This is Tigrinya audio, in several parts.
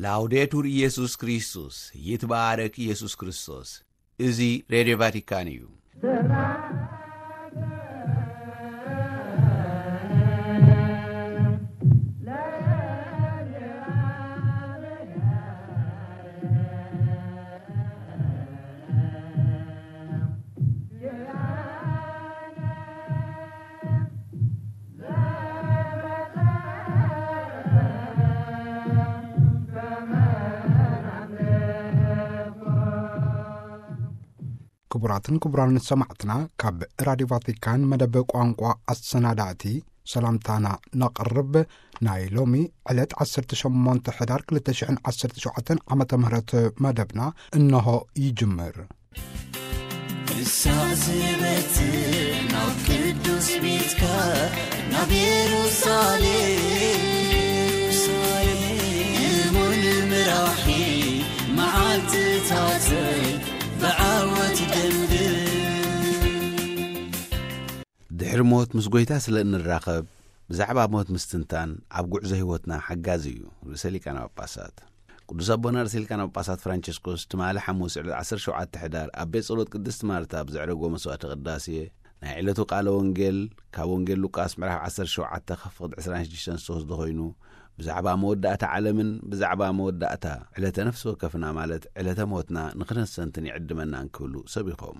ላውዴቱር ኢየሱስ ክርስቶስ፣ ይትባረክ ኢየሱስ ክርስቶስ። እዚ ሬድዮ ቫቲካን እዩ። ክቡራትን ክቡራን ሰማዕትና፣ ካብ ራዲዮ ቫቲካን መደብ ቋንቋ ኣሰናዳእቲ ሰላምታና ነቕርብ። ናይ ሎሚ ዕለት ዓሰርተ ሸሞንተ ሕዳር ክልተ ሽሕን ዓሰርተ ሸውዓተን ዓመተ ምህረት መደብና እንሆ ይጅምር። ንሳ ዝበትር ናብ ቅዱስ ቤትካ፣ ናብ የሩሳሌም፣ እሙን ምራሒ መዓልትታተይ ብዓወት ደምድም። ድሕሪ ሞት ምስ ጐይታ ስለ እንራኸብ፣ ብዛዕባ ሞት ምስትንታን ኣብ ጉዕዞ ህይወትና ሓጋዚ እዩ። ርእሰ ሊቃነ ጳጳሳት ቅዱስ ኣቦና ርእሰ ሊቃነ ጳጳሳት ፍራንቸስኮስ ትማሊ ሓሙስ ዕለት ዓሰርተ ሸውዓተ ሕዳር ኣብ ቤት ጸሎት ቅድስቲ ማርታ ብዘዕረጎ መስዋዕተ ቅዳሴ፣ ናይ ዕለቱ ቃለ ወንጌል ካብ ወንጌል ሉቃስ ምዕራፍ ዓሰርተ ሸውዓተ ካብ ፍቕዲ ዕስራን ሽዱሽተን ዝተወስደ ኮይኑ፣ ብዛዕባ መወዳእታ ዓለምን ብዛዕባ መወዳእታ ዕለተ ነፍሲ ወከፍና፣ ማለት ዕለተ ሞትና ንኽነስተንትን ይዕድመና እንክብሉ ሰቢኾም።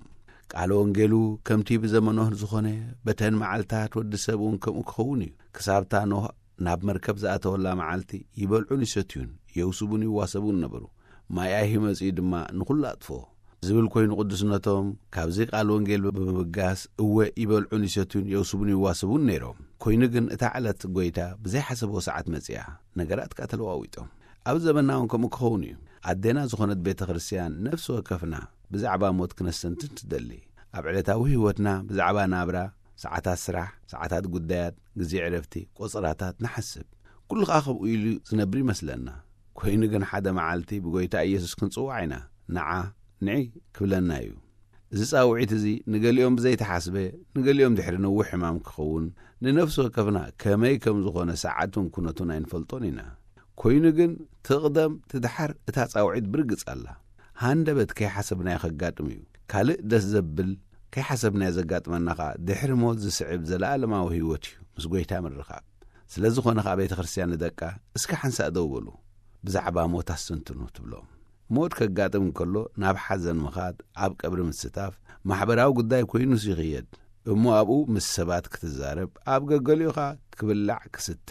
ቃለ ወንጌሉ ከምቲ ብዘመኖ ዝኾነ፣ በተን መዓልታት ወዲ ሰብ እውን ከምኡ ክኸውን እዩ። ክሳብታ ኖህ ናብ መርከብ ዝኣተወላ መዓልቲ ይበልዑን ይሰትዩን፣ የውስቡን ይዋሰቡን ነበሩ። ማይ ኣይሂ መጺኡ ድማ ንኹሉ ኣጥፍኦ። ዝብል ኮይኑ ቅዱስነቶም ካብዚ ቃል ወንጌል ብምብጋስ፣ እወ ይበልዑን ይሰትዩን የውስቡን ይዋስቡን ነይሮም። ኮይኑ ግን እታ ዕለት ጎይታ ብዘይሓሰብዎ ሰዓት መጺኣ። ነገራት ከኣ ተለዋዊጦም። ኣብ ዘመንና እውን ከምኡ ክኸውን እዩ። ኣዴና ዝኾነት ቤተ ክርስቲያን ነፍሲ ወከፍና ብዛዕባ ሞት ክነስተንትን ትደሊ። ኣብ ዕለታዊ ህይወትና ብዛዕባ ናብራ፣ ሰዓታት ስራሕ፣ ሰዓታት ጉዳያት፣ ግዜ ዕረፍቲ፣ ቆጸራታት ንሓስብ። ኩሉ ከኣ ከምኡ ኢሉ ዝነብር ይመስለና። ኮይኑ ግን ሓደ መዓልቲ ብጎይታ ኢየሱስ ክንጽዋዕ ኢና። ንዓ፣ ንዒ ክብለና እዩ። እዚ ጻውዒት እዚ ንገሊኦም ብዘይተሓስበ፣ ንገሊኦም ድሕሪ ነዊሕ ሕማም ክኸውን፣ ንነፍሲ ወከፍና ከመይ ከም ዝኾነ ሰዓቱን ኩነቱን ኣይንፈልጦን ኢና። ኮይኑ ግን ትቕደም ትድሓር እታ ጻውዒት ብርግጽ ኣላ። ሃንደበት ከይሓሰብናዮ ከጋጥም እዩ። ካልእ ደስ ዘብል ከይሓሰብናዮ ዘጋጥመና ኸኣ ድሕሪ ሞት ዝስዕብ ዘለኣለማዊ ህይወት እዩ፣ ምስ ጎይታ ምርኻብ። ስለ ዝኾነ ኸኣ ቤተ ክርስቲያን ንደቃ፣ "እስከ ሓንሳእ ደው በሉ፣ ብዛዕባ ሞት ኣስተንትኑ" ትብሎም። ሞት ከጋጥም እንከሎ ናብ ሓዘን ምኻድ፣ ኣብ ቀብሪ ምስታፍ፣ ማሕበራዊ ጉዳይ ኮይኑስ ይኽየድ እሞ ኣብኡ ምስ ሰባት ክትዛረብ፣ ኣብ ገገሊኡ ኸኣ ክብላዕ ክስተ፣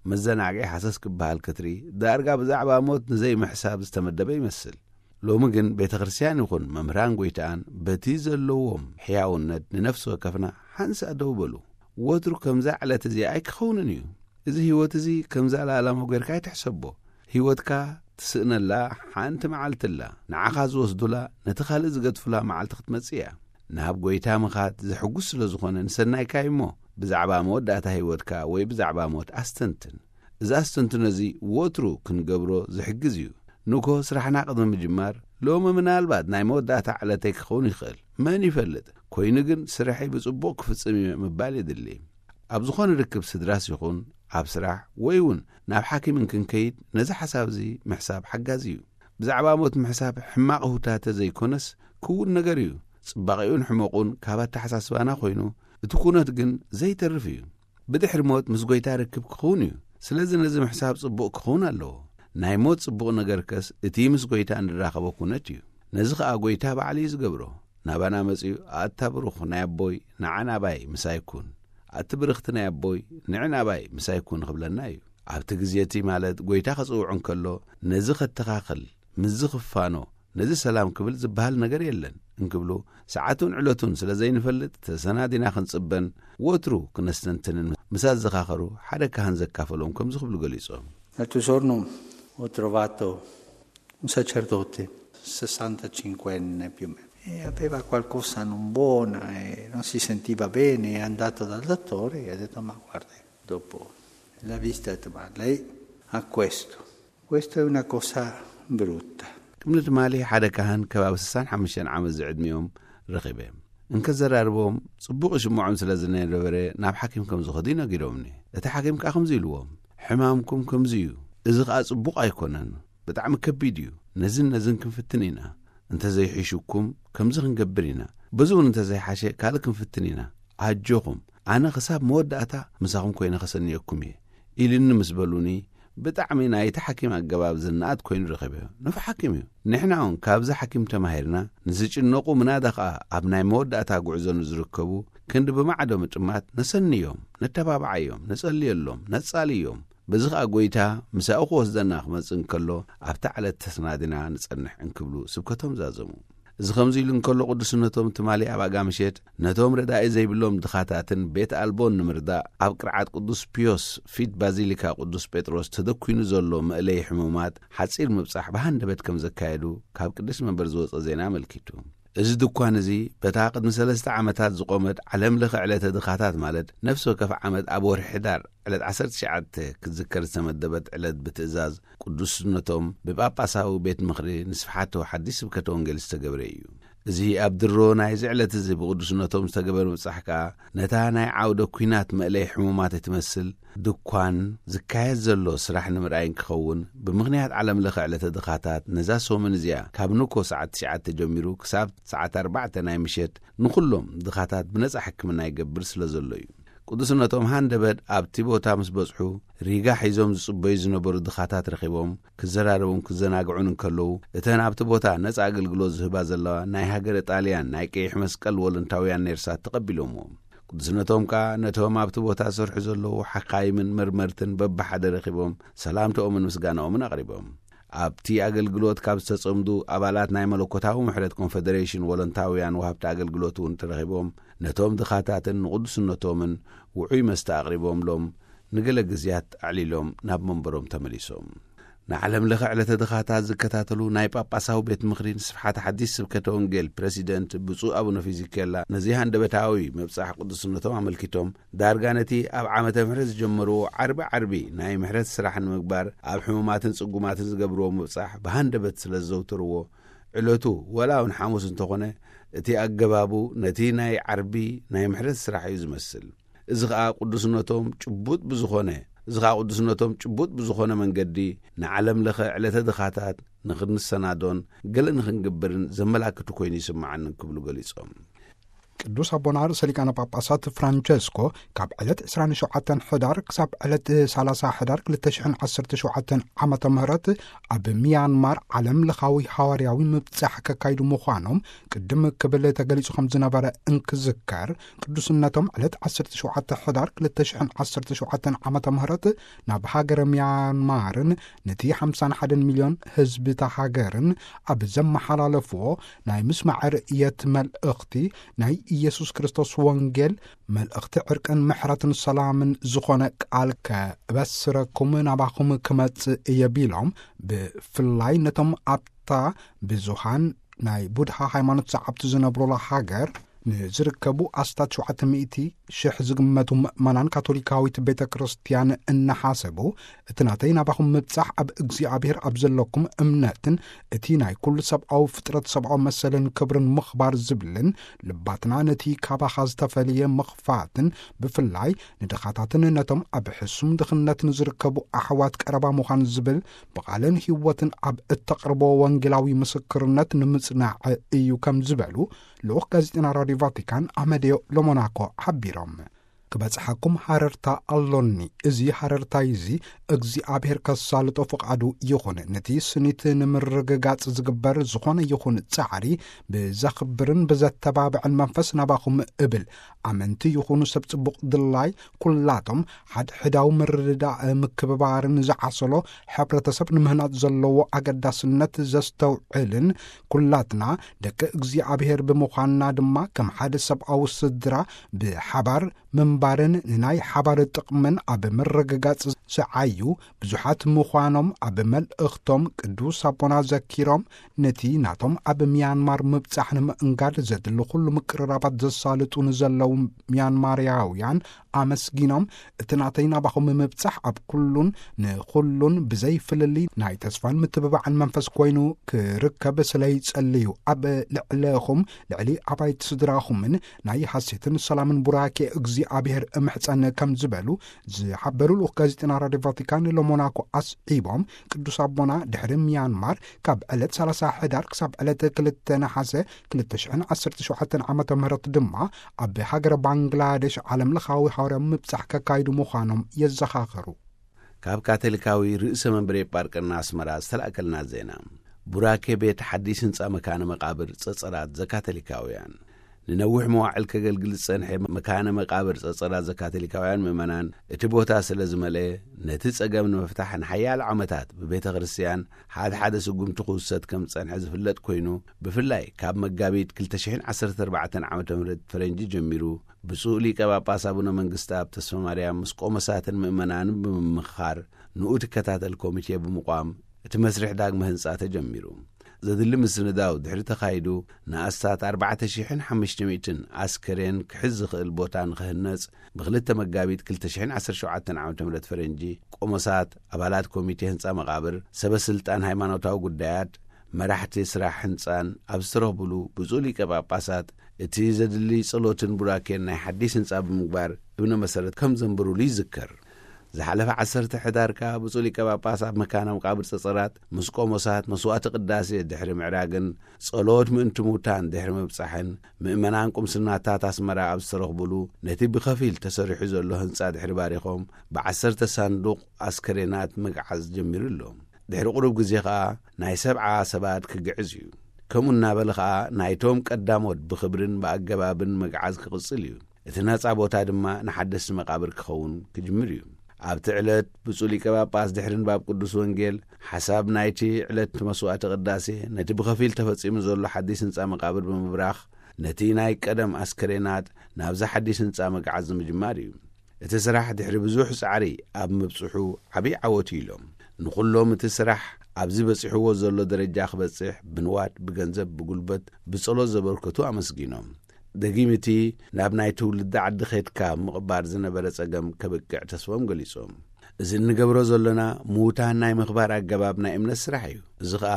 መዘናግዒ ሃሰስ ክበሃል ክትርኢ፣ ዳርጋ ብዛዕባ ሞት ንዘይምሕሳብ ዝተመደበ ይመስል። ሎሚ ግን ቤተ ክርስቲያን ይኹን መምህራን ጎይታኣን በቲ ዘለዎም ሕያውነት ንነፍሲ ወከፍና ሓንሳእ ደው በሉ። ወትሩ ከምዛ ዕለት እዚኣ ኣይክኸውንን እዩ። እዚ ህይወት እዚ ከምዛ ለኣላማዊ ጌርካ ኣይትሕሰቦ። ህይወትካ ትስእነላ ሓንቲ መዓልቲ ኣላ። ንዓኻ ዝወስዱላ፣ ነቲ ካልእ ዝገድፉላ መዓልቲ ክትመጽእ እያ። ናብ ጎይታ ምኻድ ዘሕጉስ ስለ ዝኾነ ንሰናይካ እዩ እሞ፣ ብዛዕባ መወዳእታ ህይወትካ ወይ ብዛዕባ ሞት ኣስተንትን። እዚ ኣስተንትኖ እዚ ወትሩ ክንገብሮ ዝሕግዝ እዩ። ንግሆ ስራሕና ቅድሚ ምጅማር፣ "ሎሚ ምናልባት ናይ መወዳእታ ዕለተይ ክኸውን ይኽእል፣ መን ይፈልጥ? ኮይኑ ግን ስርሐይ ብጽቡቕ ክፍጽም እየ" ምባል የድሊ። ኣብ ዝኾነ ርክብ ስድራስ ይኹን ኣብ ስራሕ ወይ እውን ናብ ሓኪም እንክንከይድ ነዚ ሓሳብ እዚ ምሕሳብ ሓጋዚ እዩ። ብዛዕባ ሞት ምሕሳብ ሕማቕ ሁታተ ዘይኮነስ ክውን ነገር እዩ። ጽባቒኡን ሕመቑን ካብ ኣተሓሳስባና ኮይኑ እቲ ኩነት ግን ዘይተርፍ እዩ። ብድሕሪ ሞት ምስ ጎይታ ርክብ ክኸውን እዩ። ስለዚ ነዚ ምሕሳብ ጽቡቕ ክኸውን ኣለዎ። ናይ ሞት ጽቡቕ ነገርከስ እቲ ምስ ጎይታ እንራኸቦ ኩነት እዩ። ነዚ ኸኣ ጎይታ ባዕሉ እዩ ዝገብሮ። ናባና መጺኡ፣ "ኣታ ብሩኽ ናይ ኣቦይ፣ ንዓ ናባይ ምሳይ ኩን። ኣቲ ብርኽቲ ናይ ኣቦይ፣ ንዒ ናባይ ምሳይ ኩን" ክብለና እዩ። ኣብቲ ግዜ እቲ ማለት ጎይታ ከጽውዕ እንከሎ፣ ነዚ ከተኻኽል፣ ምስዚ ክፋኖ፣ ነዚ ሰላም ክብል ዝበሃል ነገር የለን እንክብሉ፣ ሰዓቱን ዕለቱን ስለ ዘይንፈልጥ ተሰናዲና ክንጽበን ወትሩ ክነስተንትንን ምስ ኣዘኻኸሩ ሓደ ካህን ዘካፈሎም ከምዚ ክብሉ ገሊጾም። L'altro giorno ho trovato un sacerdote, sessantacinquenne più o meno, e aveva qualcosa non buona e non si sentiva bene, è andato dal dottore e ha detto: "Ma guardi", dopo la visita ha detto: "Ma lei ha questo, questo è una cosa brutta." ቅድሚ ትማሊ ሓደ ካህን ከባቢ ስሳን ሓሙሽተን ዓመት ዝዕድሚኦም ረኺበ። እንከዘራርቦም ጽቡቕ ይስምዖም ስለ ዝነበረ ናብ ሓኪም ከም ዝኸዱ ነጊሮምኒ። እቲ ሓኪም ከኣ ከምዚ ኢልዎም፣ "ሕማምኩም ከምዚ እዩ፣ እዚ ከኣ ጽቡቕ ኣይኮነን። ብጣዕሚ ከቢድ እዩ። ነዝን ነዝን ክንፍትን ኢና። እንተዘይሒሹኩም ከምዚ ክንገብር ኢና። በዚ እውን እንተዘይሓሸ ካልእ ክንፍትን ኢና። ኣጆኹም፣ ኣነ ክሳብ መወዳእታ ምሳኹም ኮይነ ከሰንየኩም እየ ኢልኒ ምስ በሉኒ፣ ብጣዕሚ ናይቲ ሓኪም ኣገባብ ዝነኣድ ኮይኑ ረኺበዮ። ንፉዕ ሓኪም እዩ። ንሕና እውን ካብዚ ሓኪም ተማሂርና፣ ንዝጭነቑ ምናዳ ኸኣ ኣብ ናይ መወዳእታ ጉዕዞ ንዝርከቡ ክንዲ ብማዕዶ ምጥማት ነሰንዮም፣ ነተባብዓዮም፣ ነጸልየሎም፣ ነጻልዮም። በዚ ኸኣ ጐይታ ምሳኡ ክወስደና ክመጽእ እንከሎ ኣብታ ዕለት ተሰናዲና ንጸንሕ እንክብሉ ስብከቶም ዛዘሙ። እዚ ከምዚ ኢሉ እንከሎ ቅዱስነቶም ትማሊ ኣብ ኣጋ ምሸት ነቶም ረዳኢ ዘይብሎም ድኻታትን ቤት ኣልቦን ንምርዳእ ኣብ ቅርዓት ቅዱስ ፒዮስ ፊት ባዚሊካ ቅዱስ ጴጥሮስ ተደኲኑ ዘሎ መእለይ ሕሙማት ሓጺር ምብጻሕ ብሃንደበት ከም ዘካየዱ ካብ ቅዱስ መንበር ዝወጸ ዜና ኣመልኪቱ። እዚ ድኳን እዚ በታ ቅድሚ ሰለስተ ዓመታት ዝቖመት ዓለም ለኸ ዕለተ ድኻታት ማለት ነፍሲ ወከፍ ዓመት ኣብ ወርሒ ሕዳር ዕለት ዓሰርተ ትሽዓተ ክትዝከር ዝተመደበት ዕለት ብትእዛዝ ቅዱስነቶም ብጳጳሳዊ ቤት ምኽሪ ንስፍሓቶ ሓዲስ ስብከተ ወንጌል ዝተገብረ እዩ። እዚ ኣብ ድሮ ናይዚ ዕለት እዚ ብቅዱስነቶም ዝተገበረ ምብጻሕ ከኣ ነታ ናይ ዓውደ ኲናት መእለይ ሕሙማት እትመስል ድኳን ዝካየድ ዘሎ ስራሕ ንምርኣይ እንክኸውን፣ ብምኽንያት ዓለም ለኸ ዕለተ ድኻታት ነዛ ሰሙን እዚኣ ካብ ንኮ ሰዓት ትሽዓተ ጀሚሩ ክሳብ ሰዓት ኣርባዕተ ናይ ምሸት ንኹሎም ድኻታት ብነጻ ሕክምና ይገብር ስለ ዘሎ እዩ። ቅዱስነቶም ሃንደበት ኣብቲ ቦታ ምስ በጽሑ፣ ሪጋ ሒዞም ዝጽበዩ ዝነበሩ ድኻታት ረኺቦም፣ ክዘራረቡን ክዘናግዑን እንከለዉ፣ እተን ኣብቲ ቦታ ነጻ ኣገልግሎት ዝህባ ዘለዋ ናይ ሃገረ ጣልያን ናይ ቀይሕ መስቀል ወለንታውያን ኔርሳት ተቐቢሎምዎም። ቅዱስነቶም ከኣ ነቶም ኣብቲ ቦታ ዝሰርሑ ዘለዉ ሓካይምን መርመርትን በብሓደ ረኺቦም ሰላምታኦምን ምስጋናኦምን ኣቕሪቦም። ኣብቲ ኣገልግሎት ካብ ዝተጸምዱ ኣባላት ናይ መለኮታዊ ምሕረት ኮንፈደሬሽን ወለንታውያን ወሃብቲ ኣገልግሎት እውን ተረኺቦም ነቶም ድኻታትን ንቅዱስነቶምን ውዑይ መስተ ኣቕሪቦምሎም፣ ንገለ ግዜያት ኣዕሊሎም ናብ መንበሮም ተመሊሶም። ንዓለም ለኸ ዕለተ ድኻታት ዝከታተሉ ናይ ጳጳሳዊ ቤት ምኽሪ ንስፍሓት ሓዲስ ስብከተ ወንጌል ፕረሲደንት ብፁዕ ኣቡነ ፊዚኬላ ነዚ ሃንደበታዊ መብጻሕ ቅዱስነቶም ኣመልኪቶም፣ ዳርጋ ነቲ ኣብ ዓመተ ምሕረት ዝጀመርዎ ዓርቢ ዓርቢ ናይ ምሕረት ስራሕ ንምግባር ኣብ ሕሙማትን ጽጉማትን ዝገብርዎ ምብጻሕ ብሃንደበት ስለ ዝዘውተርዎ፣ ዕለቱ ወላ እውን ሓሙስ እንተኾነ፣ እቲ ኣገባቡ ነቲ ናይ ዓርቢ ናይ ምሕረት ስራሕ እዩ ዝመስል። እዚ ኸኣ ቅዱስነቶም ጭቡጥ ብዝኾነ፣ እዚ ኸኣ ቅዱስነቶም ጭቡጥ ብዝኾነ መንገዲ ንዓለም ለኸ ዕለተ ድኻታት ንኽንሰናዶን ገለ ንኽንግብርን ዘመላክቱ ኮይኑ ይስምዓኒ ክብሉ ገሊጾም። ቅዱስ ኣቦና ርእሰ ሊቃነ ጳጳሳት ፍራንቸስኮ ካብ ዕለት ዕስራን ሸውዓተን ሕዳር ክሳብ ዕለት ሰላሳ ሕዳር ክልተ ሽሕን ዓሰርተ ሸውዓተን ዓመተ ምህረት ኣብ ሚያንማር ዓለም ለኻዊ ሃዋርያዊ ምብጻሕ ከካይዱ ምዃኖም ቅድም ክብል ተገሊጹ ከም ዝነበረ እንክዝከር፣ ቅዱስነቶም ዕለት ዓሰርተ ሸውዓተ ሕዳር ክልተ ሽሕን ዓሰርተ ሸውዓተን ዓመተ ምህረት ናብ ሃገረ ሚያንማርን ነቲ ሓምሳን ሓደን ሚልዮን ህዝቢ እታ ሃገርን ኣብ ዘመሓላለፍዎ ናይ ምስማዕ ርእየት መልእኽቲ፣ ናይ ኢየሱስ ክርስቶስ ወንጌል መልእኽቲ ዕርቅን ምሕረትን ሰላምን ዝኾነ ቃል ከበስረኩም ናባኹም ክመጽእ እየ ቢሎም፣ ብፍላይ ነቶም ኣብታ ብዙሃን ናይ ቡድሃ ሃይማኖት ሰዓብቲ ዝነብሩላ ሃገር ንዝርከቡ ኣስታት ሸውዓተ ሚእቲ ሽሕ ዝግመቱ ምእመናን ካቶሊካዊት ቤተ ክርስቲያን እናሓሰቡ፣ እቲ ናተይ ናባኹም ምብጻሕ ኣብ እግዚኣብሔር ኣብ ዘለኩም እምነትን እቲ ናይ ኩሉ ሰብኣዊ ፍጥረት ሰብኣዊ መሰልን ክብርን ምኽባር ዝብልን፣ ልባትና ነቲ ካባኻ ዝተፈልየ ምኽፋትን ብፍላይ ንድኻታትን ነቶም ኣብ ሕሱም ድኽነት ንዝርከቡ ኣሕዋት ቀረባ ምዃን ዝብል ብቓልን ህይወትን ኣብ እተቕርቦ ወንጌላዊ ምስክርነት ንምጽናዕ እዩ ከም ዝበሉ ልኡኽ ጋዜጠና ራድዮ ቫቲካን ኣመዴዮ ሎሞናኮ ሓቢሮም። ክበጽሓኩም ሃረርታ ኣሎኒ። እዚ ሃረርታይ እዚ እግዚኣብሔር ከሳልጦ ፍቓዱ ይኹን። ነቲ ስኒት ንምርግጋጽ ዝግበር ዝኾነ ይኹን ጻዕሪ ብዘኽብርን ብዘተባብዕን መንፈስ ናባኹም እብል። ኣመንቲ ይኹኑ ሰብ ጽቡቕ ድላይ ኩላቶም ሓድሕዳዊ ምርድዳእ ምክብባርን ዝዓሰሎ ሕብረተሰብ ንምህናጽ ዘለዎ ኣገዳስነት ዘስተውዕልን፣ ኩላትና ደቂ እግዚኣብሔር ብምዃንና ድማ ከም ሓደ ሰብኣዊ ስድራ ብሓባር ምንባርን ንናይ ሓባር ጥቕምን ኣብ ምርግጋጽ ዝዓዩ ብዙሓት ምዃኖም ኣብ መልእኽቶም ቅዱስ ኣቦና ዘኪሮም፣ ነቲ ናቶም ኣብ ሚያንማር ምብጻሕ ንምእንጋድ ዘድሊ ኩሉ ምቅርራባት ዘሳልጡ ንዘለዉ ሚያንማርያውያን ኣመስጊኖም፣ እቲ ናተይ ናባኹም ምብጻሕ ኣብ ኩሉን ንኹሉን ብዘይ ፍልልይ ናይ ተስፋን ምትብባዕን መንፈስ ኮይኑ ክርከብ ስለ ይጸልዩ፣ ኣብ ልዕለኹም፣ ልዕሊ ኣባይቲ ስድራኹምን ናይ ሓሴትን ሰላምን ቡራኬ እግዚኣብሔር እምሕጸን ከም ዝበሉ ዝሓበሩ ልኡኽ ጋዜጠና ራድዮ ቫቲካን ለሞናኮ ኣስዒቦም፣ ቅዱስ ኣቦና ድሕሪ ሚያንማር ካብ ዕለት ሰላሳ ሕዳር ክሳብ ዕለት ክልተ ነሓሰ ክልተ ሽሕን ዓሰርተ ሸውዓተን ዓመተ ምህረት ድማ ኣብ ሃገረ ባንግላዴሽ ዓለም ለኻዊ ሃዋርያዊ ምብጻሕ ከካይዱ ምዃኖም የዘኻኸሩ። ካብ ካቶሊካዊ ርእሰ መንበሪ ኤጳርቅና ኣስመራ ዝተላእከልና ዜና። ቡራኬ ቤት ሓዲስ ህንጻ መካነ መቃብር ጸጸራት ዘካቶሊካውያን። ንነዊሕ መዋዕል ከገልግል ዝጸንሐ መካነ መቃብር ጸጸራት ዘካቶሊካውያን ምእመናን እቲ ቦታ ስለ ዝመልአ፣ ነቲ ጸገም ንምፍታሕ ንሓያሎ ዓመታት ብቤተ ክርስቲያን ሓደ ሓደ ስጉምቲ ክውሰድ ከም ዝጸንሐ ዝፍለጥ ኮይኑ፣ ብፍላይ ካብ መጋቢት ክልተ ሽሕን ዓሰርተ ኣርባዕተን ዓመተ ምህረት ፈረንጂ ጀሚሩ፣ ብፁዕ ሊቀ ጳጳስ ኣቡነ መንግስተኣብ ተስፋ ማርያም ምስ ቆሞሳትን ምእመናንን ብምምኽኻር፣ ንኡ ትከታተል ኮሚቴ ብምቋም፣ እቲ መስርሕ ዳግመ ህንጻ ተጀሚሩ። ዘድሊ ምስንዳው ድሕሪ ተኻይዱ፣ ንኣስታት ኣርባዕተ ሽሕን ሓሙሽተ ሚእትን ኣስከሬን ክሕዝ ዝኽእል ቦታ ንኽህነጽ፣ ብክልተ መጋቢት ክልተ ሽሕን ዓሰርተ ሸውዓተን ዓመተ ምህረት ፈረንጂ፣ ቆሞሳት፣ ኣባላት ኮሚቴ ህንጻ መቓብር፣ ሰበ ስልጣን ሃይማኖታዊ ጉዳያት፣ መራሕቲ ስራሕ ህንጻን ኣብ ዝተረኽብሉ፣ ብፁዕ ሊቀ ጳጳሳት እቲ ዘድሊ ጸሎትን ቡራኬን ናይ ሓዲስ ህንጻ ብምግባር እብነ መሰረት ከም ዘንበሩሉ ይዝከር። ዝሓለፈ ዓሰርተ ሕዳር ከኣ ብፁዕ ሊቀ ጳጳስ ኣብ መካነ መቃብር ጸጸራት ምስ ቆሞሳት መስዋዕቲ ቅዳሴ ድሕሪ ምዕራግን ጸሎት ምእንቲ ሙታን ድሕሪ ምብጻሕን፣ ምእመናን ቁምስናታት ኣስመራ ኣብ ዝተረኽብሉ፣ ነቲ ብኸፊል ተሰሪሑ ዘሎ ህንጻ ድሕሪ ባሪኾም፣ ብዓሰርተ ሳንዱቕ ኣስከሬናት ምግዓዝ ጀሚሩ ኣሎ። ድሕሪ ቁሩብ ግዜ ኸኣ ናይ ሰብዓ ሰባት ክግዕዝ እዩ። ከምኡ እናበለ ኸኣ ናይቶም ቀዳሞት ብኽብርን ብኣገባብን ምግዓዝ ክቕጽል እዩ። እቲ ነጻ ቦታ ድማ ንሓደስቲ መቓብር ክኸውን ክጅምር እዩ። ኣብቲ ዕለት ብፁዕ ሊቀ ጳጳስ ድሕሪ ንባብ ቅዱስ ወንጌል፣ ሓሳብ ናይቲ ዕለት መስዋዕቲ ቅዳሴ፣ ነቲ ብኸፊል ተፈጺሙ ዘሎ ሓዲስ ህንጻ መቓብር ብምብራኽ፣ ነቲ ናይ ቀደም ኣስከሬናት ናብዚ ሓዲስ ህንጻ ምግዓዝ ንምጅማር እዩ። እቲ ስራሕ ድሕሪ ብዙሕ ጻዕሪ ኣብ ምብጽሑ ዓብዪ ዓወት እዩ ኢሎም። ንኹሎም እቲ ስራሕ ኣብዚ በጺሕዎ ዘሎ ደረጃ ክበጽሕ ብንዋት፣ ብገንዘብ፣ ብጉልበት፣ ብጸሎት ዘበርከቱ ኣመስጊኖም። ደጊም እቲ ናብ ናይ ትውልዲ ዓዲ ኸድካ ምቕባር ዝነበረ ጸገም ከብቅዕ ተስፎም ገሊጾም። እዚ እንገብሮ ዘሎና ምዉታን ናይ ምኽባር ኣገባብ ናይ እምነት ስራሕ እዩ። እዚ ኸኣ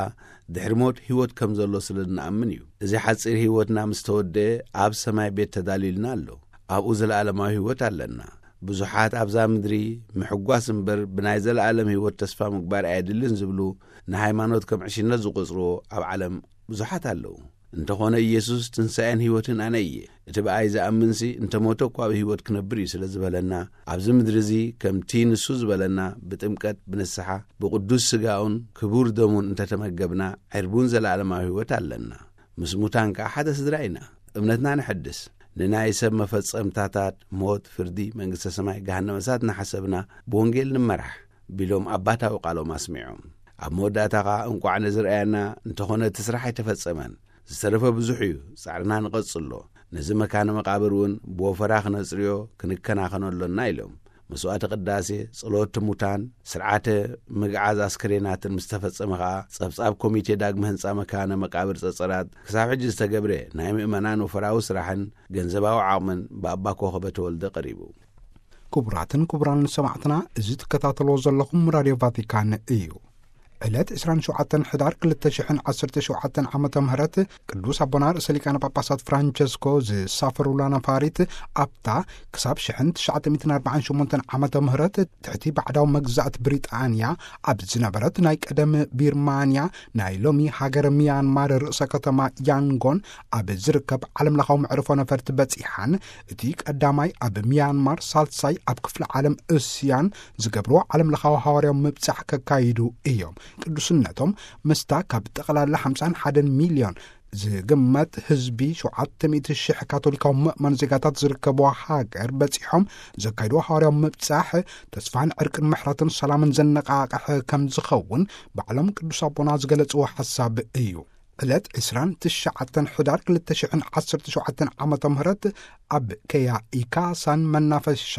ድሕሪ ሞት ህይወት ከም ዘሎ ስለ እንኣምን እዩ። እዚ ሓጺር ህይወትና ምስ ተወደአ ኣብ ሰማይ ቤት ተዳልዩልና ኣሎ። ኣብኡ ዘለኣለማዊ ህይወት ኣለና። ብዙሓት ኣብዛ ምድሪ ምሕጓስ እምበር ብናይ ዘለኣለም ህይወት ተስፋ ምግባር ኣየድልን ዝብሉ ንሃይማኖት ከም ዕሽነት ዝቖጽርዎ ኣብ ዓለም ብዙሓት ኣለዉ። እንተኾነ ኢየሱስ ትንሳኤን ህይወትን ኣነ እየ። እቲ ብኣይ ዝኣምንሲ እንተ ሞተ እኳ ብህይወት ክነብር እዩ ስለ ዝበለና፣ ኣብዚ ምድሪ እዚ ከምቲ ንሱ ዝበለና ብጥምቀት፣ ብንስሓ፣ ብቅዱስ ስጋኡን ክቡር ደሙን እንተተመገብና ዕርቡን ዘለኣለማዊ ህይወት ኣለና። ምስ ሙታን ከኣ ሓደ ስድራ ኢና። እምነትና ነሐድስ። ንናይ ሰብ መፈጸምታታት ሞት፣ ፍርዲ፣ መንግስተ ሰማይ፣ ገሃነመ እሳት እናሓሰብና ብወንጌል ንመራሕ ቢሎም ኣባታዊ ቃሎም ኣስሚዖም። ኣብ መወዳእታ ከኣ እንቋዕ ነዚ ረኣየና፣ እንተኾነ እቲ ስራሕ ኣይተፈጸመን። ዝተረፈ ብዙሕ እዩ፣ ጻዕርና ንቐጽሎ። ነዚ መካነ መቓብር እውን ብወፈራ ክነጽርዮ፣ ክንከናኸኖ ኣሎና ኢሎም። መስዋዕቲ ቅዳሴ፣ ጸሎት ሙታን፣ ስርዓተ ምግዓዝ ኣስከሬናትን ምስ ተፈጸመ ከኣ፣ ጸብጻብ ኮሚቴ ዳግመ ህንጻ መካነ መቃብር ጸጸራት ክሳብ ሕጂ ዝተገብረ ናይ ምእመናን ወፈራዊ ስራሕን ገንዘባዊ ዓቕምን ብኣባ ኮኸበ ተወልደ ቀሪቡ። ክቡራትን ክቡራን ሰማዕትና፣ እዚ ትከታተልዎ ዘለኹም ራድዮ ቫቲካን እዩ። ዕለት ዕስራን ሸውዓተን ሕዳር ክልተ ሽሕን ዓሰርተ ሸውዓተን ዓመተ ምህረት ቅዱስ ኣቦና ርእሰ ሊቃነ ጳጳሳት ፍራንቸስኮ ዝሳፈሩላ ነፋሪት ኣብታ ክሳብ ሽሕን ትሽዓተ ሚእትን ኣርባዓን ሸሞንተን ዓመተ ምህረት ትሕቲ ባዕዳዊ መግዛእቲ ብሪጣንያ ኣብ ዝነበረት ናይ ቀደም ቢርማንያ ናይ ሎሚ ሃገር ሚያንማር ርእሰ ከተማ ያንጎን ኣብ ዝርከብ ዓለምለኻዊ መዕርፎ ነፈርቲ በጺሓን እቲ ቀዳማይ ኣብ ሚያንማር ሳልሳይ ኣብ ክፍለ ዓለም እስያን ዝገብርዎ ዓለምለኻዊ ሃዋርያዊ ምብጻሕ ከካይዱ እዮም። ቅዱስነቶም ምስታ ካብ ጠቕላላ ሓምሳን ሓደን ሚልዮን ዝግመት ህዝቢ ሸውዓተ ሚእቲ ሽሕ ካቶሊካዊ ምእመን ዜጋታት ዝርከብዋ ሃገር በጺሖም ዘካይድዎ ሃዋርያዊ ምብጻሕ ተስፋን ዕርቅን ምሕረትን ሰላምን ዘነቓቕሕ ከም ዝኸውን ባዕሎም ቅዱስ ኣቦና ዝገለጽዎ ሓሳብ እዩ። ዕለት ዕስራን ትሽዓተን ሕዳር ክልተ ሽሕን ዓሰርተ ሸውዓተን ዓመተ ምህረት ኣብ ከያኢካሳን መናፈሻ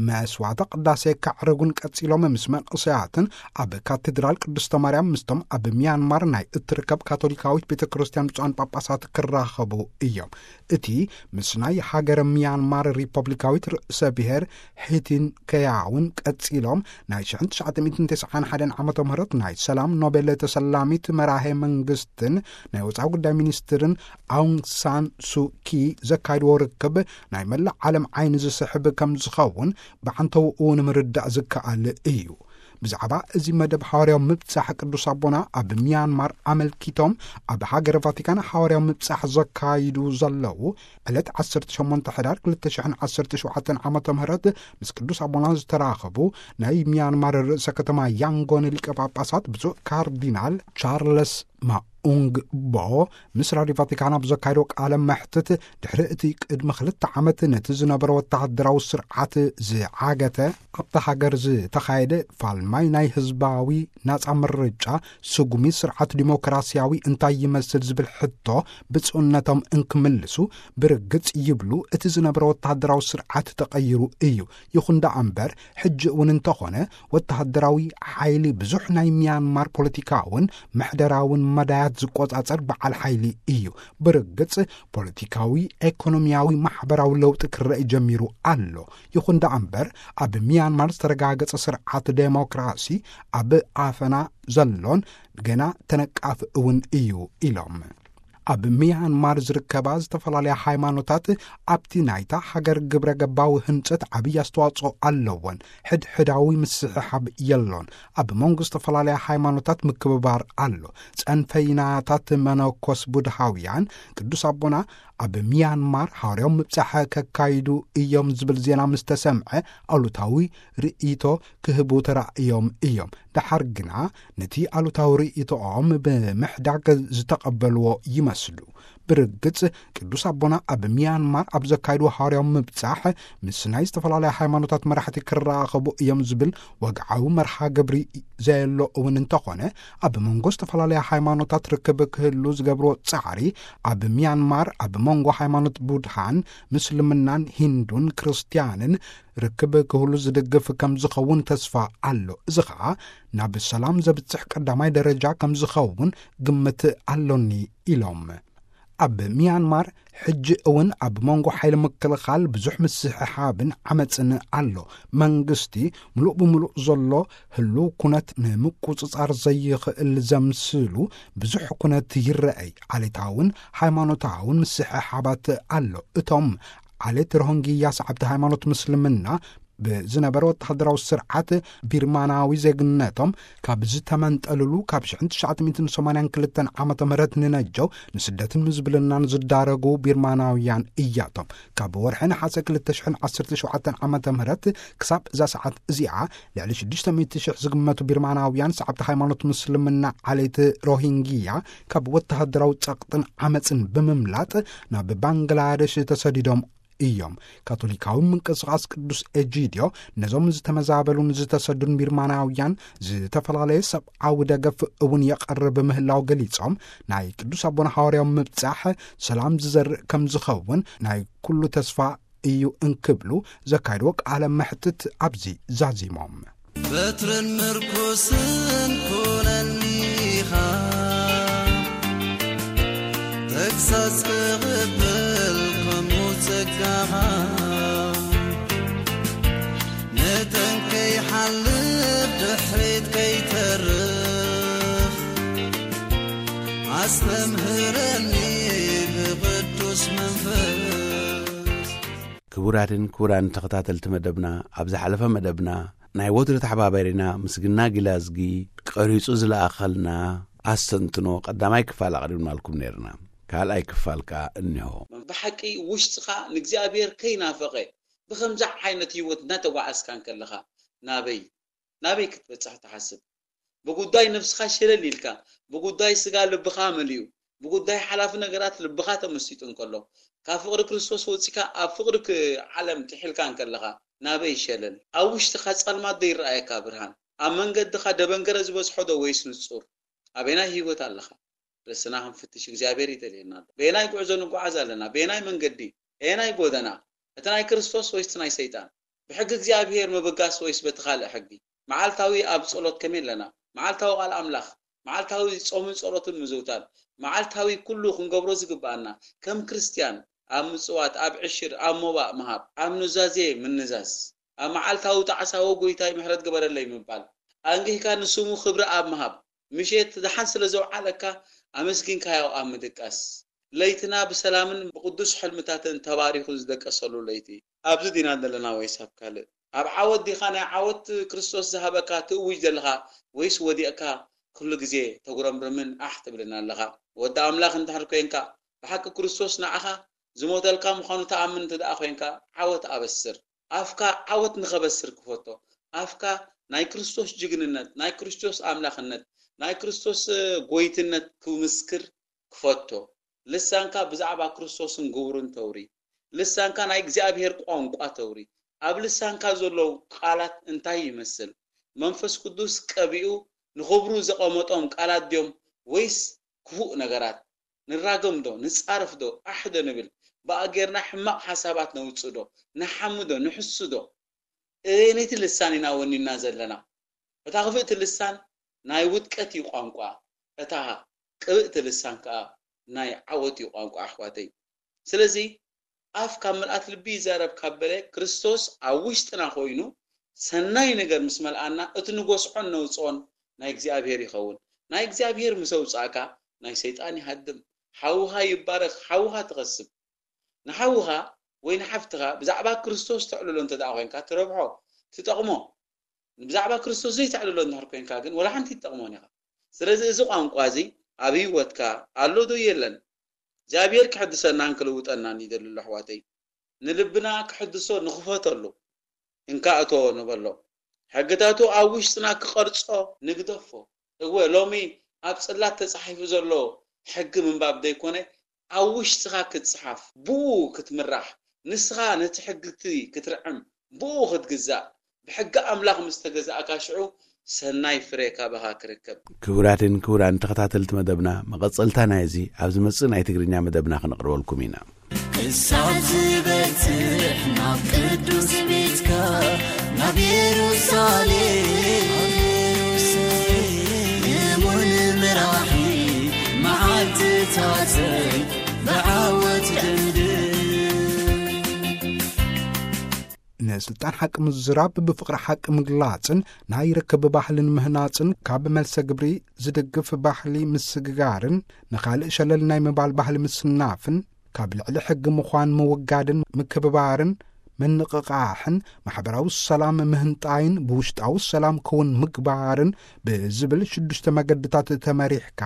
መስዋዕተ ቅዳሴ ከዕርጉን ቀጺሎም ምስ መንእሰያትን ኣብ ካቴድራል ቅድስተ ማርያም ምስቶም ኣብ ሚያንማር ናይ እትርከብ ካቶሊካዊት ቤተ ክርስቲያን ብፁዓን ጳጳሳት ክራኸቡ እዮም። እቲ ምስ ናይ ሃገረ ሚያንማር ሪፐብሊካዊት ርእሰ ብሔር ሒቲን ከያውን ቀጺሎም ናይ ሽሕን ትሽዓተ ሚእትን ተስዓን ሓደን ዓመተ ምህረት ናይ ሰላም ኖቤል ተሰላሚት መራሄ መንግስትን ናይ ወፃኢ ጉዳይ ሚኒስትርን ኣውንግ ሳን ሱኪ ዘካይድዎ ርክብ ናይ መላእ ዓለም ዓይኒ ዝስሕብ ከም ዝኸውን ብዓንተውኡ ንምርዳእ ዝከኣል እዩ። ብዛዕባ እዚ መደብ ሓዋርያዊ ምብጻሕ ቅዱስ ኣቦና ኣብ ሚያንማር ኣመልኪቶም ኣብ ሃገረ ቫቲካን ሓዋርያዊ ምብጻሕ ዘካይዱ ዘለዉ ዕለት ዓሰርተ ሸሞንተ ሕዳር ክልተ ሽሕን ዓሰርተ ሸውዓተን ዓመተ ምህረት ምስ ቅዱስ ኣቦና ዝተራኸቡ ናይ ሚያንማር ርእሰ ከተማ ያንጎን ሊቀ ጳጳሳት ብፁዕ ካርዲናል ቻርለስ ማኡንግ ቦ ምስ ራድዮ ቫቲካን ኣብ ዘካየዶ ቃለ መሕትት ድሕሪ እቲ ቅድሚ ክልተ ዓመት ነቲ ዝነበረ ወተሃደራዊ ስርዓት ዝዓገተ ኣብታ ሃገር ዝተኻየደ ፋልማይ ናይ ህዝባዊ ናጻ ምርጫ ስጉሚ ስርዓት ዲሞክራሲያዊ እንታይ ይመስል ዝብል ሕቶ ብፁዕነቶም እንክምልሱ ብርግጽ ይብሉ እቲ ዝነበረ ወተሃደራዊ ስርዓት ተቐይሩ እዩ። ይኹን ደኣ እምበር ሕጂ እውን እንተኾነ ወተሃደራዊ ሓይሊ ብዙሕ ናይ ሚያንማር ፖለቲካውን ምሕደራውን መዳያት ዝቆጻጸር በዓል ሓይሊ እዩ። ብርግጽ ፖለቲካዊ፣ ኤኮኖሚያዊ፣ ማሕበራዊ ለውጢ ክረአ ጀሚሩ ኣሎ። ይኹን ደኣ እምበር ኣብ ሚያንማር ዝተረጋገጸ ስርዓት ዴሞክራሲ ኣብ ኣፈና ዘሎን ገና ተነቃፊ እውን እዩ ኢሎም። ኣብ ሚያንማር ዝርከባ ዝተፈላለያ ሃይማኖታት ኣብቲ ናይታ ሃገር ግብረ ገባዊ ህንጸት ዓብዪ ኣስተዋጽኦ ኣለወን። ሕድሕዳዊ ምስሕሓብ የሎን። ኣብ መንጎ ዝተፈላለያ ሃይማኖታት ምክብባር ኣሎ። ጸንፈይናታት መነኮስ ቡድሃውያን ቅዱስ ኣቦና ኣብ ሚያንማር ሃዋርያዊ ምብጻሕ ከካይዱ እዮም ዝብል ዜና ምስ ተሰምዐ ኣሉታዊ ርእይቶ ክህቡ ተራእዮም እዮም። ደሓር ግና ነቲ ኣሉታዊ ርእይቶኦም ብምሕዳግ ዝተቐበልዎ ይመስሉ። ብርግጽ ቅዱስ ኣቦና ኣብ ሚያንማር ኣብ ዘካይድዎ ሃዋርያዊ ምብጻሕ ምስ ናይ ዝተፈላለያ ሃይማኖታት መራሕቲ ክራኸቡ እዮም ዝብል ወግዓዊ መርሃ ግብሪ ዘየሎ እውን እንተኾነ ኣብ መንጎ ዝተፈላለያ ሃይማኖታት ርክብ ክህሉ ዝገብርዎ ጻዕሪ ኣብ ሚያንማር ኣብ መንጎ ሃይማኖት ቡድሃን ምስልምናን ሂንዱን ክርስትያንን ርክብ ክህሉ ዝድግፍ ከም ዝኸውን ተስፋ ኣሎ። እዚ ኸኣ ናብ ሰላም ዘብጽሕ ቀዳማይ ደረጃ ከም ዝኸውን ግምት ኣሎኒ ኢሎም። ኣብ ሚያንማር ሕጂ እውን ኣብ መንጎ ሓይሊ ምክልኻል ብዙሕ ምስሕሓብን ዓመፅን ኣሎ። መንግስቲ ምሉእ ብምሉእ ዘሎ ህሉው ኩነት ንምቁፅፃር ዘይኽእል ዘምስሉ ብዙሕ ኩነት ይረኣይ። ዓሌታውን ሃይማኖታውን ምስሕሓባት ኣሎ። እቶም ዓሌት ሮሂንግያ ሰዓብቲ ሃይማኖት ምስልምና ብዝነበረ ወተሃደራዊ ስርዓት ቢርማናዊ ዜግነቶም ካብ ዝተመንጠልሉ ካብ ሽሕን ትሽዓተ ሚእትን ሰማንያን ክልተን ዓመተ ምህረት ንነጀው ንስደትን ምዝብልናን ዝዳረጉ ቢርማናውያን እያቶም። ካብ ወርሒ ነሓሰ ክልተ ሽሕን ዓሰርተ ሸውዓተን ዓመተ ምህረት ክሳብ እዛ ሰዓት እዚኣ ልዕሊ ሽዱሽተ ሚእቲ ሽሕ ዝግመቱ ቢርማናውያን ሰዓብቲ ሃይማኖት ምስልምና ዓሌት ሮሂንግያ ካብ ወተሃደራዊ ጸቕጥን ዓመጽን ብምምላጥ ናብ ባንግላደሽ ተሰዲዶም እዮም። ካቶሊካዊ ምንቅስቓስ ቅዱስ ኤጂድዮ ነዞም ዝተመዛበሉን ዝተሰዱን ቢርማናውያን ዝተፈላለየ ሰብኣዊ ደገፍ እውን የቐርብ ምህላው ገሊጾም፣ ናይ ቅዱስ ኣቦና ሃዋርያዊ ምብጻሕ ሰላም ዝዘርእ ከም ዝኸውን ናይ ኩሉ ተስፋ እዩ እንክብሉ ዘካየድዎ ቃለ መሕትት ኣብዚ ዛዚሞም። በትርን ምርኩስን ኩነኒኻ፣ ተግሳጽ ክቕበል ከምኡ ጸጋኻ፣ መጠን ከይሓልፍ ድሕሪት ከይተርፍ፣ ኣስተምህረኒ ብቕዱስ መንፈስ። ክቡራትን ክቡራን ተኸታተልቲ መደብና፣ ኣብ ዝሓለፈ መደብና ናይ ወትሩ ተሓባባሪና ምስግና ጊላዝጊ ቀሪጹ ዝለኣኸልና ኣስተንትኖ ቀዳማይ ክፋል ኣቕሪብናልኩም ነይርና። ካልኣይ ክፋል ከኣ እኒሆ። ብሓቂ ውሽጥኻ ንእግዚኣብሔር ከይናፈቐ ብኸምዚ ዓይነት ህይወት እናተጓዓዝካ እንከለኻ ናበይ ናበይ ክትበጽሕ ትሓስብ? ብጉዳይ ነፍስኻ ሸለል ኢልካ፣ ብጉዳይ ስጋ ልብኻ መሊኡ፣ ብጉዳይ ሓላፊ ነገራት ልብኻ ተመሲጡ እንከሎ፣ ካብ ፍቕሪ ክርስቶስ ወጺካ ኣብ ፍቕሪ ክ-፣ ዓለም ጥሒልካ እንከለኻ፣ ናበይ ሸለል? ኣብ ውሽጥኻ ጸልማት ዶ ይረኣየካ ብርሃን? ኣብ መንገድኻ ደበንገረ ዝበዝሖ ዶ ወይስ ንጹር? ኣበየናይ ህይወት ኣለኻ? ርእስና ክንፍትሽ እግዚኣብሔር ይደልየና ኣሎ። በየናይ ጉዕዞ ንጓዓዝ ኣለና? በየናይ መንገዲ? ኣየናይ ጎደና? እቲ ናይ ክርስቶስ ወይስ እቲ ናይ ሰይጣን? ብሕጊ እግዚኣብሔር ምብጋስ ወይስ በቲ ካልእ ሕጊ? መዓልታዊ ኣብ ጸሎት ከመይ ኣለና? መዓልታዊ ቃል ኣምላኽ፣ መዓልታዊ ጾምን ጸሎትን ምዝውታር፣ መዓልታዊ ኩሉ ክንገብሮ ዝግብኣና፣ ከም ክርስትያን፣ ኣብ ምጽዋት፣ ኣብ ዕሽር፣ ኣብ ሞባእ ምሃብ፣ ኣብ ኑዛዜ ምንዛዝ፣ ኣብ መዓልታዊ ጣዕሳ "ወ ጎይታይ ምሕረት ግበረለይ" ምባል፣ ኣንጊህካ ንስሙ ክብሪ ኣብ ምሃብ፣ ምሸት ደሓን ስለ ዘውዓለካ ኣመስጊንካዮ ኣብ ምድቃስ፣ ለይትና ብሰላምን ብቕዱስ ሕልምታትን ተባሪኹ ዝደቀሰሉ ለይቲ። ኣብዚ ዲና ዘለና ወይስ ኣብ ካልእ? ኣብ ዓወት ዲኻ ናይ ዓወት ክርስቶስ ዝሃበካ ትእውጅ ዘለኻ፣ ወይስ ወዲቕካ ኩሉ ግዜ ተጉረምርምን ኣሕ ትብልን ኣለኻ? ወዲ ኣምላኽ እንድሕር ኮንካ፣ ብሓቂ ክርስቶስ ንዓኻ ዝሞተልካ ምዃኑ ትኣምን እንተ ደኣ ኮንካ፣ ዓወት ኣበስር። ኣፍካ ዓወት ንኸበስር ክፈቶ። ኣፍካ ናይ ክርስቶስ ጅግንነት፣ ናይ ክርስቶስ ኣምላኽነት፣ ናይ ክርስቶስ፣ እ፣ ጎይትነት ክምስክር ክፈቶ። ልሳንካ ብዛዕባ ክርስቶስን ግብሩን ተውሪ። ልሳንካ ናይ እግዚኣብሔር ቋንቋ ተውሪ። ኣብ ልሳንካ ዘለዉ ቃላት እንታይ ይመስል? መንፈስ ቅዱስ ቀቢኡ ንኽብሩ ዘቐመጦም ቃላት ድዮም ወይስ ክፉእ ነገራት? ንራገም ዶ? ንጻረፍ ዶ? ኣሕ ዶ ንብል? ብኣ ጌርና ሕማቕ ሓሳባት ነውጽእ ዶ? ንሓሚ ዶ? ንሕሱ ዶ? እበየነይቲ ልሳን ኢና ወኒና ዘለና? እታ ክፍእቲ ልሳን ናይ ውድቀት እዩ ቋንቋ፣ እታ ቅብእቲ ልሳን ከኣ ናይ ዓወት እዩ ቋንቋ፣ ኣሕዋተይ። ስለዚ ኣፍ ካብ ምልኣት ልቢ ይዛረብ ካብ በለ፣ ክርስቶስ ኣብ ውሽጥና ኮይኑ ሰናይ ነገር ምስ መልኣና፣ እቲ ንጎስዖን ነውጽኦን ናይ እግዚኣብሔር ይኸውን። ናይ እግዚኣብሔር ምስ ኣውጻእካ፣ ናይ ሰይጣን ይሃድም። ሓውኻ ይባረኽ፣ ሓውኻ ትኸስብ። ንሓውኻ ወይ ንሓፍትኻ ብዛዕባ ክርስቶስ ተዕልሎ እንተ ደኣ ኮይንካ፣ ትረብሖ፣ ትጠቕሞ። ብዛዕባ ክርስቶስ ዘይተዕልሎ እንድሕር ኮይንካ ግን፣ ወላ ሓንቲ ትጠቕሞን ኢኻ። ስለዚ እዚ ቋንቋ እዚ ኣብ ህይወትካ ኣሎ ዶ የለን? እግዚኣብሔር ክሕድሰናን ክልውጠናን ይደሊ ኣሎ፣ ኣሕዋተይ። ንልብና ክሕድሶ ንኽፈተሉ፣ እንካ እቶ ንበሎ። ሕግታቱ ኣብ ውሽጥና ክቐርጾ ንግደፎ። እወ፣ ሎሚ ኣብ ጽላት ተጻሒፉ ዘሎ ሕጊ ምንባብ ዘይኮነ፣ ኣብ ውሽጥኻ ክጽሓፍ፣ ብኡ ክትምራሕ፣ ንስኻ ነቲ ሕጊ እቲ ክትርዕም፣ ብኡ ክትግዛእ፣ ብሕጊ ኣምላኽ ምስ ተገዛእካ፣ ሽዑ ሰናይ ፍረ ካባኻ ክርከብ። ክቡራትን ክቡራን ተኸታተልቲ መደብና፣ መቐጸልታ ናይዚ ኣብ ዝመጽእ ናይ ትግርኛ መደብና ክነቕርበልኩም ኢና። ክሳብ ዝበጽሕ ናብ ቅዱስ ቤትካ፣ ናብ የሩሳሌም፣ እሙን መራሒ መዓልትታተይ ብዓወት ደምድም። ንስልጣን ሓቂ ምዝራብ፣ ብፍቕሪ ሓቂ ምግላጽን ናይ ርክብ ባህልን ምህናጽን፣ ካብ መልሰ ግብሪ ዝድግፍ ባህሊ ምስግጋርን ንኻልእ ሸለል ናይ ምባል ባህሊ ምስናፍን፣ ካብ ልዕሊ ሕጊ ምዃን ምውጋድን ምክብባርን ምንቕቓሕን፣ ማሕበራዊ ሰላም ምህንጣይን ብውሽጣዊ ሰላም ክውን ምግባርን ብዝብል ሽዱሽተ መገድታት ተመሪሕካ፣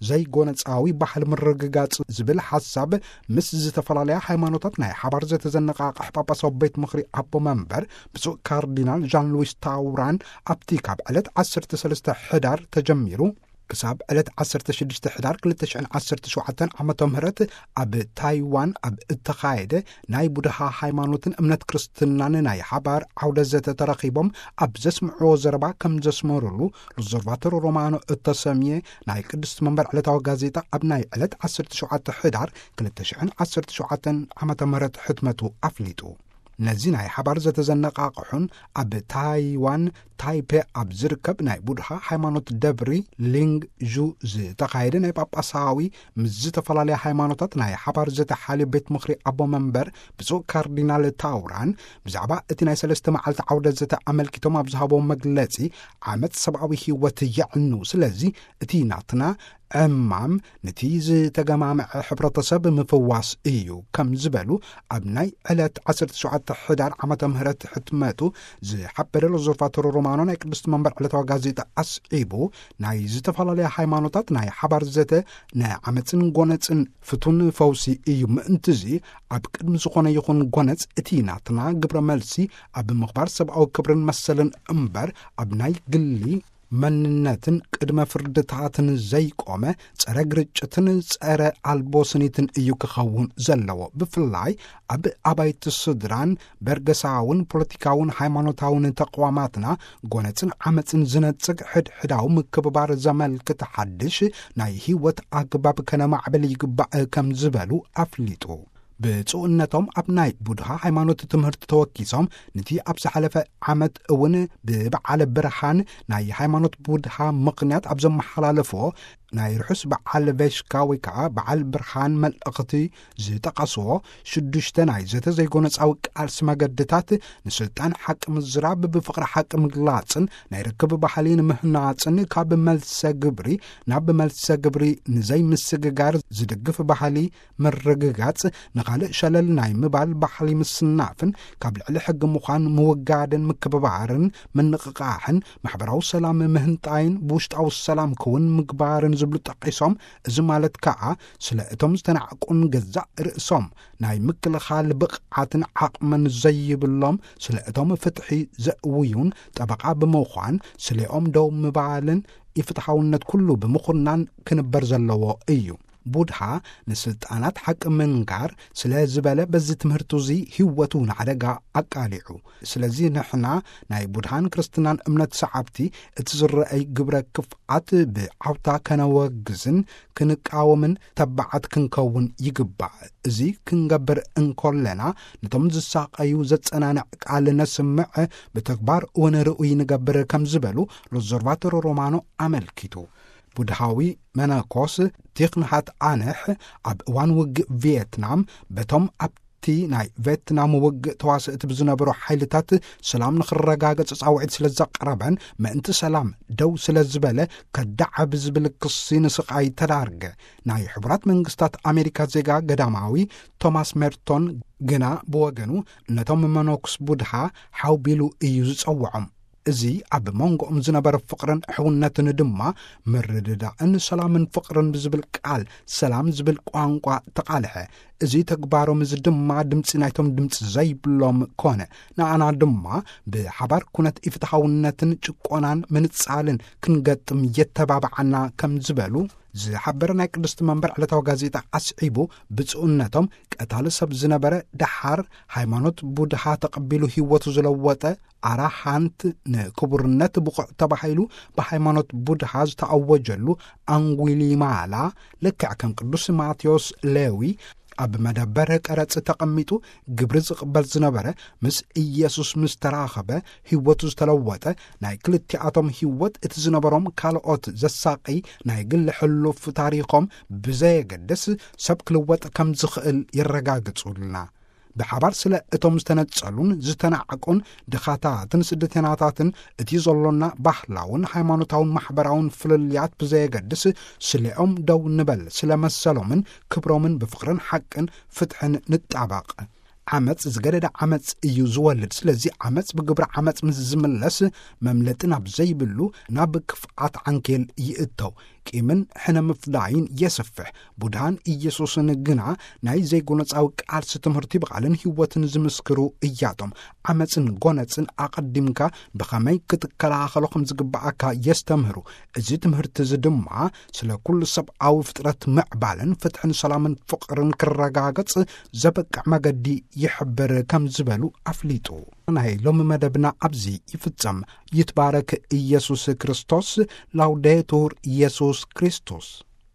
ዘይጎነጻዊ ባህሊ ምርግጋጽ ዝብል ሓሳብ ምስ ዝተፈላለያ ሃይማኖታት ናይ ሓባር ዘተዘነቓቕሕ ጳጳሳዊ ቤት ምኽሪ ኣቦ መንበር ብፁዕ ካርዲናል ዣን ሉዊስ ታውራን ኣብቲ ካብ ዕለት ዓሰርተ ሰለስተ ሕዳር ተጀሚሩ ክሳብ ዕለት ዓሰርተ ሽዱሽተ ሕዳር ክልተ ሽሕን ዓሰርተ ሸውዓተን ዓመተ ምህረት ኣብ ታይዋን ኣብ እተኻየደ ናይ ቡድሃ ሃይማኖትን እምነት ክርስትናን ናይ ሓባር ዓውደ ዘተ ተረኺቦም ኣብ ዘስምዕዎ ዘረባ ከም ዘስመሩሉ፣ ሎብዘርቫቶር ሮማኖ እተሰምየ ናይ ቅድስቲ መንበር ዕለታዊ ጋዜጣ ኣብ ናይ ዕለት ዓሰርተ ሸውዓተ ሕዳር ክልተ ሽሕን ዓሰርተ ሸውዓተን ዓመተ ምህረት ሕትመቱ ኣፍሊጡ። ነዚ ናይ ሓባር ዘተዘነቓቕሑን ኣብ ታይዋን ታይፔ ኣብ ዝርከብ ናይ ቡድሃ ሃይማኖት ደብሪ ሊንግ ዡ ዝተኻየደ ናይ ጳጳሳዊ ምስ ዝተፈላለያ ሃይማኖታት ናይ ሓባር ዘተ ሓልዮ ቤት ምኽሪ ኣቦ መንበር ብፁዕ ካርዲናል ታውራን ብዛዕባ እቲ ናይ ሰለስተ መዓልቲ ዓውደ ዘተ ኣመልኪቶም ኣብ ዝሃቦ መግለጺ፣ ዓመጽ ሰብኣዊ ህይወት የዕኑ። ስለዚ እቲ ናትና ዕማም ነቲ ዝተገማምዐ ሕብረተሰብ ምፍዋስ እዩ ከም ዝበሉ ኣብ ናይ ዕለት ዓሰርተ ሸውዓተ ሕዳር ዓመተ ምህረት ሕትመቱ ዝሓበረ ሎብዘርቫቶር ሮማኖ ናይ ቅድስቲ መንበር ዕለታዊ ጋዜጣ ኣስዒቡ፣ ናይ ዝተፈላለያ ሃይማኖታት ናይ ሓባር ዘተ ንዓመፅን ጎነፅን ፍቱን ፈውሲ እዩ። ምእንትዚ ኣብ ቅድሚ ዝኾነ ይኹን ጎነፅ እቲ ናትና ግብረ መልሲ ኣብ ምኽባር ሰብኣዊ ክብርን መሰልን እምበር ኣብ ናይ ግሊ መንነትን ቅድመ ፍርድታትን ዘይቆመ፣ ጸረ ግርጭትን ጸረ ኣልቦ ስኒትን እዩ ክኸውን ዘለዎ። ብፍላይ ኣብ ኣባይቲ ስድራን በርገሳውን ፖለቲካውን ሃይማኖታውን ተቕዋማትና ጎነጽን ዓመጽን ዝነጽግ ሕድሕዳዊ ምክብባር ዘመልክት ሓድሽ ናይ ህይወት ኣግባብ ከነማዕብል ይግባእ ከም ዝበሉ ኣፍሊጡ። ብፁዕነቶም ኣብ ናይ ቡድሃ ሃይማኖት ትምህርቲ ተወኪሶም፣ ነቲ ኣብ ዝሓለፈ ዓመት እውን ብበዓል ብርሃን ናይ ሃይማኖት ቡድሃ ምኽንያት ኣብ ዘመሓላለፍዎ ናይ ርሑስ በዓል ቬሽካ ወይ ከዓ በዓል ብርሃን መልእኽቲ ዝጠቐስዎ ሽዱሽተ ናይ ዘተ ዘይጎነጻዊ ቃልሲ መገድታት፣ ንስልጣን ሓቂ ምዝራብ፣ ብፍቕሪ ሓቂ ምግላጽን ናይ ርክብ ባህሊ ንምህናጽን፣ ካብ መልሰ ግብሪ ናብ መልሰ ግብሪ ንዘይምስግጋር ዝድግፍ ባህሊ ምርግጋጽ፣ ንኻልእ ሸለል ናይ ምባል ባህሊ ምስናፍን፣ ካብ ልዕሊ ሕጊ ምዃን ምውጋድን ምክብባርን ምንቕቓሕን፣ ማሕበራዊ ሰላም ምህንጣይን ብውሽጣዊ ሰላም ክውን ምግባርን ዝብሉ ጠቒሶም፣ እዚ ማለት ከኣ ስለ እቶም ዝተናዕቁን ገዛእ ርእሶም ናይ ምክልኻል ብቕዓትን ዓቕምን ዘይብሎም፣ ስለ እቶም ፍትሒ ዘእውዩን ጠበቓ ብምዃን፣ ስሌኦም ደው ምባልን ኢፍትሓውነት ኩሉ ብምኹናን ክንበር ዘለዎ እዩ። ቡድሃ ንስልጣናት ሓቂ ምንጋር ስለ ዝበለ፣ በዚ ትምህርቱ እዚ ህይወቱ ንሓደጋ ኣቃሊዑ። ስለዚ ንሕና ናይ ቡድሃን ክርስትናን እምነት ሰዓብቲ፣ እቲ ዝረአይ ግብረ ክፍኣት ብዓውታ ከነወግዝን ክንቃወምን ተባዓት ክንከውን ይግባእ። እዚ ክንገብር እንኮለና፣ ነቶም ዝሳቐዩ ዘጸናንዕ ቃል ነስምዕ፣ ብተግባር እውን ርኡይ ንገብር ከም ዝበሉ ሎዘርቫቶሮ ሮማኖ ኣመልኪቱ። ቡድሃዊ መነኮስ ቲኽ ናሃት ኣነሕ፣ ኣብ እዋን ውግእ ቪየትናም በቶም ኣብቲ ናይ ቪየትናም ውግእ ተዋስእቲ ብዝነበሩ ሓይልታት ሰላም ንኽረጋገጽ ጻውዒት ስለ ዘቕረበን፣ ምእንቲ ሰላም ደው ስለ ዝበለ ከዳዕ ብዝብል ክሲ ንስቓይ ተዳርገ። ናይ ሕቡራት መንግስታት ኣሜሪካ ዜጋ ገዳማዊ ቶማስ ሜርቶን ግና ብወገኑ፣ ነቶም መነኩስ ቡድሃ ሓው ቢሉ እዩ ዝጸውዖም። እዚ ኣብ መንጎኦም ዝነበረ ፍቕርን ሕውነትን ድማ ምርድዳእን ሰላምን ፍቕርን ብዝብል ቃል፣ ሰላም ዝብል ቋንቋ ተቓልሐ። እዚ ተግባሮም እዚ ድማ ድምጺ ናይቶም ድምጺ ዘይብሎም ኮነ። ንኣና ድማ ብሓባር ኩነት ኢፍትሓውነትን ጭቆናን ምንጻልን ክንገጥም የተባብዓና ከም ዝበሉ ዝሓበረ ናይ ቅድስቲ መንበር ዕለታዊ ጋዜጣ ኣስዒቡ፣ ብፁዕነቶም ቀታሊ ሰብ ዝነበረ፣ ደሓር ሃይማኖት ቡድሃ ተቐቢሉ ህይወቱ ዝለወጠ ኣራሃንት፣ ንክቡርነት ብቑዕ ተባሂሉ ብሃይማኖት ቡድሃ ዝተኣወጀሉ ኣንጉሊማላ፣ ልክዕ ከም ቅዱስ ማቴዎስ ሌዊ ኣብ መደበር ቀረጽ ተቐሚጡ ግብሪ ዝቕበል ዝነበረ፣ ምስ ኢየሱስ ምስ ተራኸበ ህይወቱ ዝተለወጠ፣ ናይ ክልቲኣቶም ህይወት፣ እቲ ዝነበሮም ካልኦት ዘሳቒ ናይ ግሊ ሕሉፍ ታሪኾም ብዘየገድስ፣ ሰብ ክልወጥ ከም ዝኽእል የረጋግጹልና። ብሓባር ስለ እቶም ዝተነጸሉን ዝተናዕቁን ድኻታትን ስደተናታትን፣ እቲ ዘሎና ባህላውን ሃይማኖታውን ማሕበራውን ፍልልያት ብዘየገድስ፣ ስሌኦም ደው ንበል፣ ስለ መሰሎምን ክብሮምን ብፍቕርን ሓቅን ፍትሕን ንጣበቕ። ዓመጽ ዝገደደ ዓመጽ እዩ ዝወልድ። ስለዚ ዓመጽ ብግብሪ ዓመጽ ምስ ዝምለስ፣ መምለጢ ናብ ዘይብሉ ናብ ክፍኣት ዓንኬል ይእተው። ቂምን ሕነ ምፍዳይን የስፍሕ። ቡድሃን ኢየሱስን ግና ናይ ዘይጎነጻዊ ቃልሲ ትምህርቲ ብቓልን ህይወትን ዝምስክሩ እያቶም። ዓመጽን ጎነጽን ኣቐዲምካ ብኸመይ ክትከላኸሎ ከም ዝግብኣካ የስተምህሩ። እዚ ትምህርቲ እዚ ድማ ስለ ኩሉ ሰብኣዊ ፍጥረት ምዕባልን ፍትሕን ሰላምን ፍቕርን ክረጋገጽ ዘበቅዕ መገዲ ይሕብር ከም ዝበሉ ኣፍሊጡ። ናይ ሎሚ መደብና ኣብዚ ይፍጸም። ይትባረክ ኢየሱስ ክርስቶስ። ላውዴቱር ኢየሱስ ክርስቶስ።